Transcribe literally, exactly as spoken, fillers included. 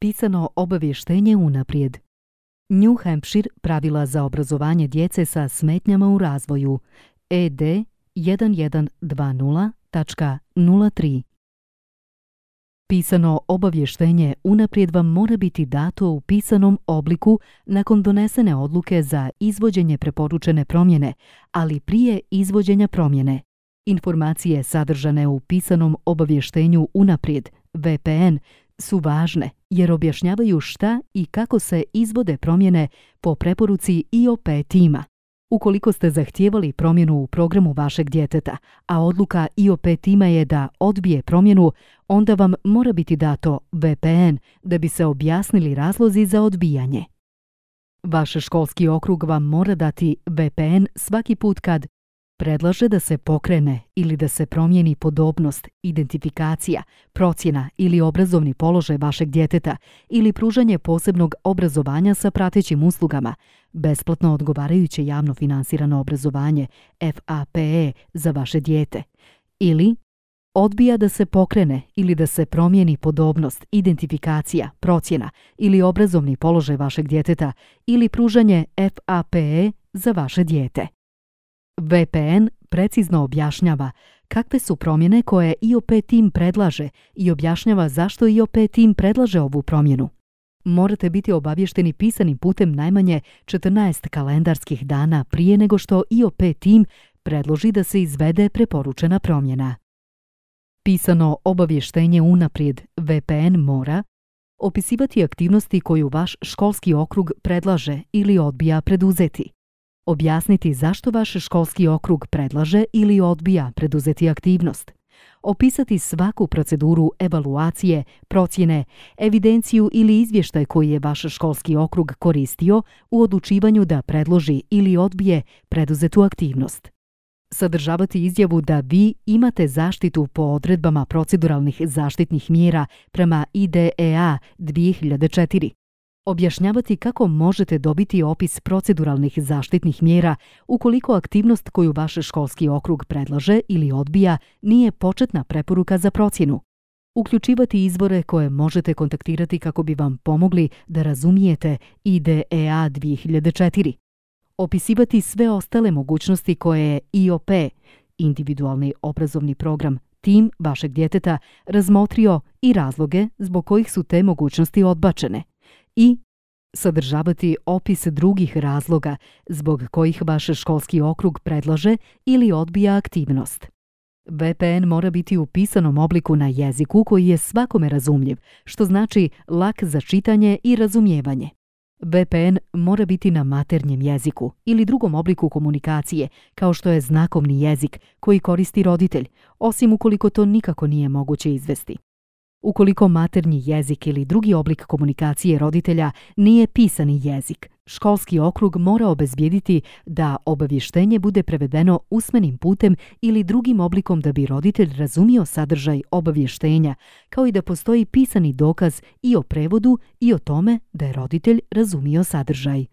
pisano obavještenje unaprijed. New Hampshire pravila za obrazovanje djece sa smetnjama u razvoju E D jedan jedan dva nula tačka nula tri. Pisano obavještenje unaprijed vam mora biti dato u pisanom obliku nakon donesene odluke za izvođenje preporučene promjene, ali prije izvođenja promjene. Informacije sadržane u pisanom obavještenju unaprijed, V P N, su važne jer objašnjavaju šta i kako se izvode promjene po preporuci I O P tima. Ukoliko ste zahtijevali promjenu u programu vašeg djeteta, a odluka I O P tima je da odbije promjenu, onda vam mora biti dato V P N da bi se objasnili razlozi za odbijanje. Vaš školski okrug vam mora dati V P N svaki put kad predlaže da se pokrene ili da se promijeni podobnost, identifikacija, procjena ili obrazovni položaj vašeg djeteta ili pružanje posebnog obrazovanja sa pratećim uslugama, besplatno odgovarajuće javno finansirano obrazovanje F A P E za vaše dijete, ili odbija da se pokrene ili da se promijeni podobnost, identifikacija, procjena ili obrazovni položaj vašeg djeteta ili pružanje F A P E za vaše dijete. V P N precizno objašnjava kakve su promjene koje I O P tim predlaže i objašnjava zašto I O P tim predlaže ovu promjenu. Morate biti obavješteni pisanim putem najmanje četrnaest kalendarskih dana prije nego što I O P tim predloži da se izvede preporučena promjena. Pisano obavještenje unaprijed V P N mora opisivati aktivnosti koju vaš školski okrug predlaže ili odbija preduzeti. Objasniti zašto vaš školski okrug predlaže ili odbija preduzeti aktivnost. Opisati svaku proceduru evaluacije, procjene, evidenciju ili izvještaj koji je vaš školski okrug koristio u odlučivanju da predloži ili odbije preduzetu aktivnost. Sadržavati izjavu da vi imate zaštitu po odredbama proceduralnih zaštitnih mjera prema I D E A dvije hiljade četiri. Objašnjavati kako možete dobiti opis proceduralnih zaštitnih mjera ukoliko aktivnost koju vaš školski okrug predlaže ili odbija nije početna preporuka za procjenu. Uključivati izvore koje možete kontaktirati kako bi vam pomogli da razumijete I D E A dvije hiljade četiri. Opisivati sve ostale mogućnosti koje je I O P, individualni obrazovni program, tim vašeg djeteta razmotrio i razloge zbog kojih su te mogućnosti odbačene. I sadržavati opis drugih razloga zbog kojih vaš školski okrug predlaže ili odbija aktivnost. V P N mora biti u pisanom obliku na jeziku koji je svakome razumljiv, što znači lak za čitanje i razumijevanje. V P N mora biti na maternjem jeziku ili drugom obliku komunikacije, kao što je znakovni jezik koji koristi roditelj, osim ukoliko to nikako nije moguće izvesti. Ukoliko maternji jezik ili drugi oblik komunikacije roditelja nije pisani jezik, školski okrug mora obezbijediti da obavještenje bude prevedeno usmenim putem ili drugim oblikom da bi roditelj razumio sadržaj obavještenja, kao i da postoji pisani dokaz i o prevodu i o tome da je roditelj razumio sadržaj.